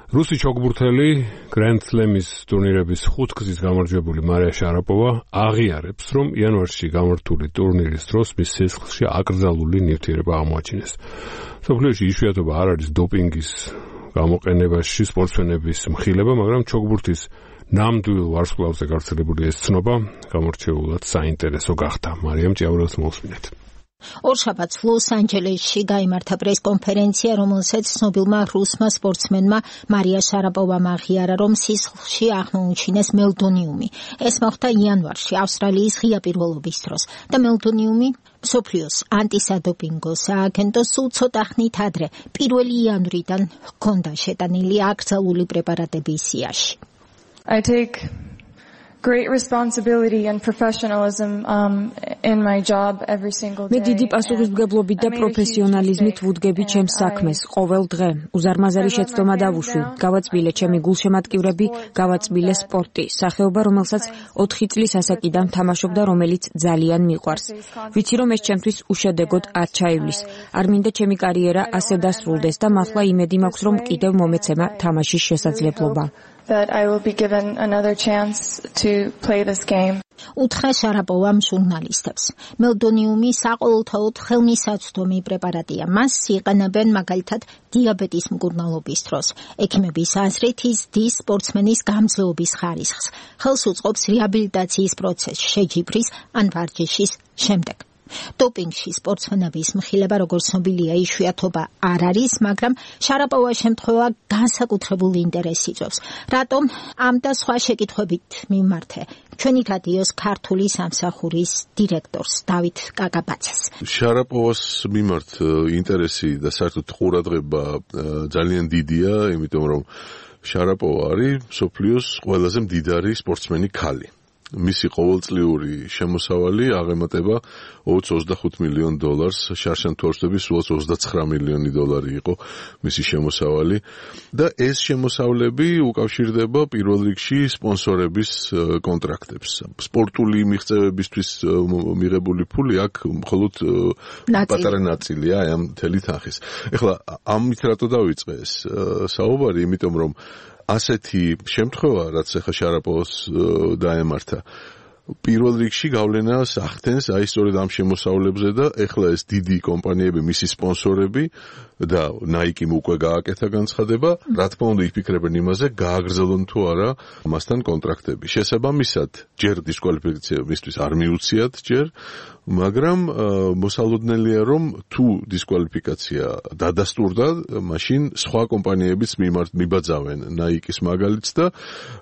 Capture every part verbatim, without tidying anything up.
რუსი ჩოგბურთელი Grand Slam-ის ტურნირების ხუთგზის გამარჯვებული მარია შარაპოვა აღიარებს, რომ იანვარში გამართული ტურნირის დროს მის სისხლში აკრძალული ნივთიერება აღმოაჩინეს. მსოფლიოში იშვიათობა არ არის დოპინგის გამოყენებაში სპორტსმენების მხილება, მაგრამ ჩოგბურთის ნამდვილ ვარსკვლავზე გავრცელებული ეს ცნობა გამორჩეულად საინტერესო გახდა. მარიამ ჭიაურელს მოусმინეთ. ორშაბათს ლოს-ანჯელესში გაიმართა პრეს-კონფერენცია, რომელსაც ცნობილმა რუსმა სპორტსმენმა მარია შარაპოვამ აღიარა, რომ სისხლში აღმოუჩინეს მელდონიუმი. ეს მოხდა იანვარში, ავსტრალიის ღია პირველობის დროს და მელდონიუმი მსოფლიოს ანტისადოპინგო სააგენტოს სულ ცოტა ხნით ადრე, პირველი იანვრიდან ჰქონდა შეტანილი აკრძალული პრეპარატების სიაში. I take great responsibility and professionalism um, in my job every single day. მე დიდი პასუხისმგებლობით და პროფესიონალიზმით ვუდგები ჩემს საქმეს ყოველ დღე. უზარმაზარი შეცდომა დავუშვი. გავაწმილე ჩემი გულშემატკივრები, გავაწმილე სპორტი, სახეობა, რომელსაც ოთხი წლის ასაკიდან თამაშობ და რომელიც ძალიან მიყვარს. ვიცი, რომ ეს ჩემთვის უშედეგოდ არ ჩაივლის. არ მინდა ჩემი კარიერა ასე დასრულდეს და მართლა იმედი მაქვს, რომ კიდევ მომეცემა თამაშის შესაძლებლობა. That I will be given another chance to play this game. უთხრა შარაპოვამ ჟურნალისტებს. მელდონიუმი საყოველთაოდ ხელმისაწვდომი პრეპარატია. მას იყენებენ მაგალითად დიაბეტის მკურნალობის დროს. ექიმების აზრით ის დის სპორტსმენის გამძლეობის ხარისხს. ხელს უწყობს რეაბილიტაციის პროცესს შეჯიბრის ან ვარჯიშის შემდეგ. დოპინგში სპორტსმენების მხილება, როგორც ცნობილია, იშვიათობა არ არის, მაგრამ შარაპოვას შემთხვევა განსაკუთრებულ ინტერესს იწვევს. რატომ? ამ და სხვა შეკითხვებით მიმართე ჩვენი რადიოს ქართული სამსახურის დირექტორს დავით კაკაბაძეს. შარაპოვას მიმართ ინტერესი და საერთოდ ყურადღება ძალიან დიდია, იმიტომ რომ შარაპოვა არის მსოფლიოს ყველაზე მდიდარი სპორტსმენი ქალი. მისი ყოველწლიური შემოსავალი აღემატება ოც ოცდახუთ მილიონ დოლარს, შარშან-თორშტების სულაც ოცდაცხრა მილიონი დოლარი იყო მისი შემოსავალი და ეს შემოსავლები უკავშირდება პირველ რიგში სპონსორების კონტრაქტებს. სპორტული მიღწევებისთვის მიღებული ფული აქ მხოლოდ პატარა ნაწილია აი ამ მთელი თანხის. ეხლა ამით რატო დავიწყე ეს საუბარი, იმიტომ რომ ასეთი შემთხვევა, რაც ახლა შარაპოვას დაემართა, პირველ რიგში გავლენას ახდენს აი სწორედ ამ შემოსავლებზე და ეხლა ეს დიდი კომპანიები, მისი სპონსორები და Nike-მ უკვე გააკეთა განცხადება, რა თქმა უნდა იფიქრებენ იმაზე, გააგრძელონ თუ არა მასთან კონტრაქტები. შესაბამისად, ჯერ დისკვალიფიკაცია მისთვის არ მიუციათ ჯერ, მაგრამ მოსალოდნელია, რომ თუ დისკვალიფიკაცია დადასტურდა, მაშინ სხვა კომპანიებიც მიბაძავენ Nike-ის მაგალითს და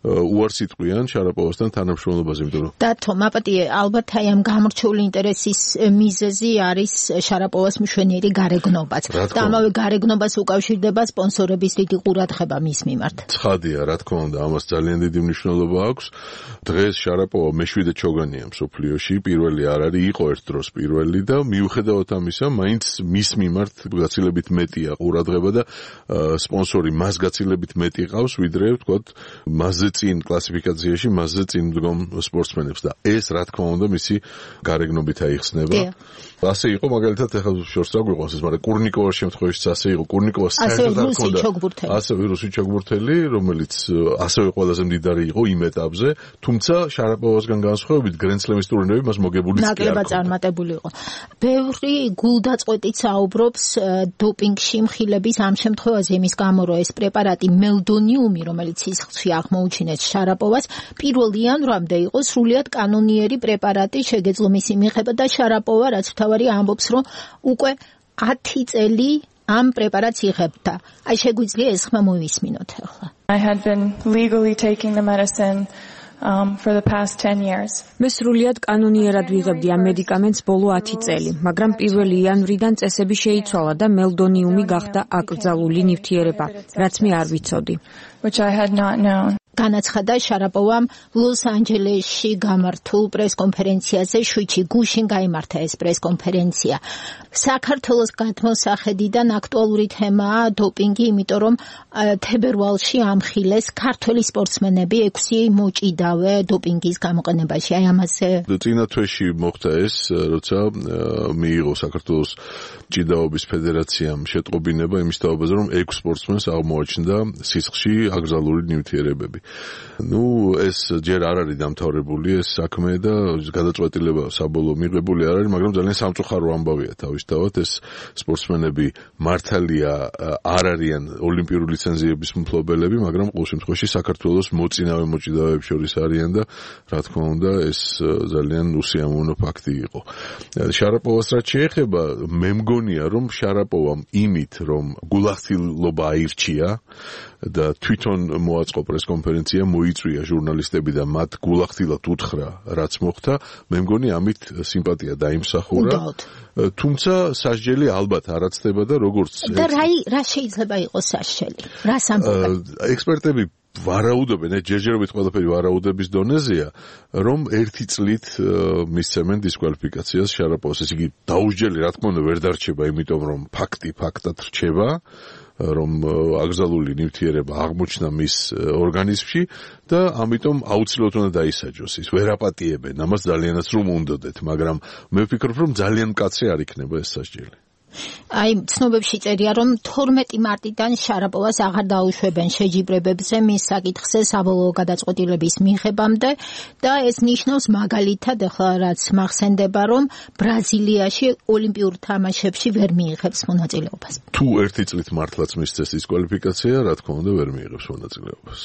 უარს იტყვიან შარაპოვასთან თანამშრომლობაზე, იმიტომ რომ დათო, მაპატიე, ალბათ აი ამ გამორჩეული ინტერესის მიზეზი არის შარაპოვას მშვენიერი გარეგნობაც. და ამავე გარეგნობას უკავშირდება სპონსორების დიდი ყურადღება მის მიმართ. ცხადია, რა თქმა უნდა, ამას ძალიან დიდი მნიშვნელობა აქვს. დღეს შარაპოვა მეშვიდე ჩოგანია მსოფლიოში, პირველი არ არის, იყო ერთ დროს პირველი და მიუხედავად ამისა, მაინც მის მიმართ გაცილებით მეტია ყურადღება და სპონსორი მას გაცილებით მეტი ყავს, ვიდრე ვთქვათ, მასზე წინ კლასიფიკაციაში, მასზე წინ მდგომ სპორტსმენებს და ეს რა თქმა უნდა მისი გარეგნობით აიხსნება. ასე იყო მაგალითად ახლა შორს აგვიყვანს ეს, მაგრამ კურნიკოვას შემთხვევაშიც ასე იყო. კურნიკოვას საერთოდ არ ჰქონდა ასევე რუსი ჩოგბურთელი, რომელიც ასევე ყველაზე მდიდარი იყო იმ ეტაპზე, თუმცა შარაპოვასგან განსხვავებით Grand Slam-ის ტურნირები მას მოგებულიც კი არ ნაკლებად წარმატებული იყო. ბევრი გულდაწყვეტით საუბრობს დოპინგში მხილების ამ შემთხვევაზე, იმის გამო რომ ეს პრეპარატი მელდონიუმი, რომელიც სისხლში აღმოუჩინეს შარაპოვას, პირველ იანვრამდე იყო სრულიად კანონიერი პრეპარატი, შეგეძლო მისი მიღება და შარაპოვა, რაც თავარი ამბობს, რომ უკვე ათი წელი ამ პრეპარატს იღებდა. აი შეგვიძლია ეს ხმა მოვისმინოთ ახლა. I had been legally taking the medicine um for the past ten years. მე სრულიად კანონიერად ვიღებდი ამ მედიკამენტს ბოლო ათი წელი, მაგრამ პირველი იანვრიდან წესები შეიცვალა და მელდონიუმი გახდა აკრძალული ნივთიერება, რაც მე არ ვიცოდი. Which I had not known. განაცხადა შარაპოვამ ლოს-ანჯელესში გამართულ პრესკონფერენციაზე, შვიდში გუშინ გაიმართა ეს პრესკონფერენცია. საქართველოს გადმოსახედიდან აქტუალური თემაა დოპინგი, იმიტომ რომ თებერვალში ამხილეს ქართველი სპორტსმენები ექვსი მოჭიდავე დოპინგის გამოყენებაში. აი ამაზე წინა თვეში მოხდა ეს, როცა მიიღო საქართველოს ჭიდაობის ფედერაციამ შეტყობინება იმის თაობაზე, რომ ექვს სპორტსმენს აღმოაჩნდა სისხლში აკრძალული ნივთიერებები. ნუ ეს ჯერ არ არის დამთავრებული ეს საქმე და გადაწყვეტილება საბოლოო მიღებული არ არის, მაგრამ ძალიან სამწუხარო ამბავია თავისთავად. ეს სპორტსმენები მართალია არ არიან ოლიმპიური ლიცენზიების მფლობელები, მაგრამ ყოველ შემთხვევაში საქართველოს მოწინავე მოჭიდავეებს შორის არიან და რა თქმა უნდა ეს ძალიან უსიამოვნო ფაქტი იყო. შარაპოვას რაც შეეხება, მე მგონია რომ შარაპოვამ იმით რომ გულახდილობა აირჩია და თვითონ მოაწყო პრესკონფერენცია, მოიწვია ჟურნალისტები და მათ გულახდილად უთხრა რაც მოხდა, მე მგონი ამით სიმპათია დაიმსახურა. თუმცა სასჯელი ალბათ არ აცდება და როგორც და რა რა შეიძლება იყოს სასჯელი? რას ამბობენ? ექსპერტები ვარაუდობენ, ჯერჯერობით ყველაფერი ვარაუდების დონეზეა, რომ ერთი წლით მისცემენ დისკვალიფიკაციას შარაპოვას. ეს იგი დაუსჯელი, რა თქმა უნდა, ვერ დარჩება, იმიტომ რომ ფაქტი ფაქტად რჩება, რომ აკრძალული ნივთიერება აღმოჩნდა მის ორგანიზმში და ამიტომ აუცილებლად უნდა დაისაჯოს. ის ვერ აპატიებენ, ამას ძალიანაც რომ უნდოდეთ, მაგრამ მე ვფიქრობ, რომ ძალიან მკაცრი არ იქნება ეს სასჯელი. აი, ცნობებში წერია, რომ თორმეტი მარტიდან შარაპოვას აღარ დაუშვებენ შეჯიბრებებზე მის საკითხზე საბოლოო გადაწყვეტილების მიღებამდე და ეს ნიშნავს მაგალითად, ახლა რაც მახსენდება, რომ ბრაზილიაში ოლიმპიურ თამაშებში ვერ მიიღებს მონაწილეობას. თუ ერთი წლით მართლაც მისცეს დისკვალიფიკაცია, რა თქმა უნდა, ვერ მიიღებს მონაწილეობას.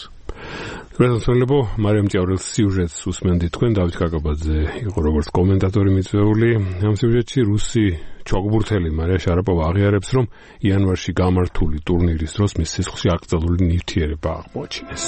პრეზიდენტებო, მარიამ ჭიაურელს სიუჟეტს უსმენდი თქვენ, დავით კაკაბაძე იყო როგორც კომენტატორი მიწვეული. ამ სიუჟეტში რუსი ჩოგბურთელი მარია შარაპოვა აღიარებს, რომ იანვარში გამართული ტურნირის დროს მის სისხლში აკრძალული ნივთიერება აღმოაჩინეს.